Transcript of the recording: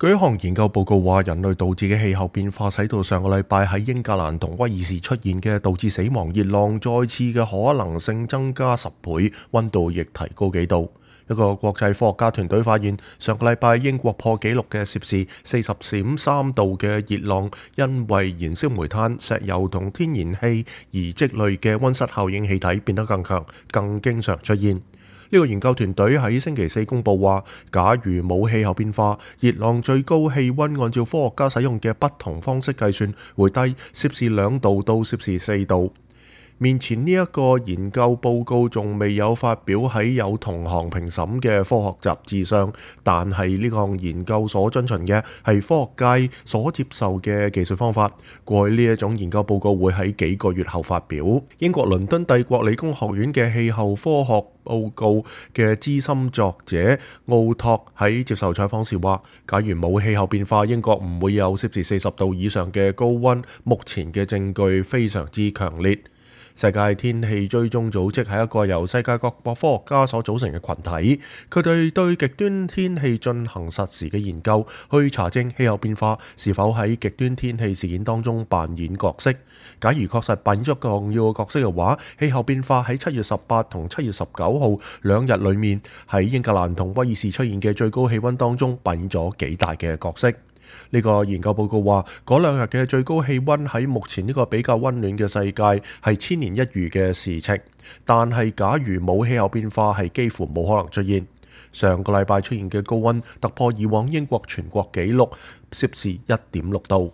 據一項研究報告話，人類導致嘅氣候變化使到上個禮拜喺英格蘭同威爾士出現嘅導致死亡熱浪再次嘅可能性增加10倍，溫度亦提高幾度。一個國際科學家團隊發現，上個禮拜英國破紀錄嘅攝氏40.3度嘅熱浪，因為燃燒煤炭、石油同天然氣而積累嘅溫室效應氣體變得更強，更經常出現。呢個研究團隊喺星期四公佈話，假如冇氣候變化，熱浪最高氣溫按照科學家使用嘅不同方式計算，會低攝氏2度到攝氏4度。面前呢一個研究報告仲未有發表喺有同行評審嘅科學雜誌上，但係呢項研究所遵循嘅係科學界所接受嘅技術方法。過去呢一種研究報告會喺幾個月後發表。英國倫敦帝國理工學院嘅氣候科學報告嘅資深作者奧托喺接受採訪時話，假如冇氣候變化，英國唔會有攝氏40度以上嘅高溫。目前嘅證據非常之強烈。世界天氣追蹤組織係一個由世界各國科學家所組成嘅群體，佢哋對極端天氣進行實時嘅研究，去查證氣候變化是否喺極端天氣事件當中扮演角色。假如確實扮演咗重要嘅角色嘅話，氣候變化喺7月18同7月19號兩日裏面喺英格蘭同威爾士出現嘅最高氣溫當中扮演咗幾大嘅角色。呢個研究報告話，嗰兩日嘅最高氣溫喺目前呢個比較溫暖嘅世界係千年一遇嘅事情，但係假如冇氣候變化係幾乎冇可能出現。上個禮拜出現嘅高溫突破以往英國全國紀錄攝氏1.6度。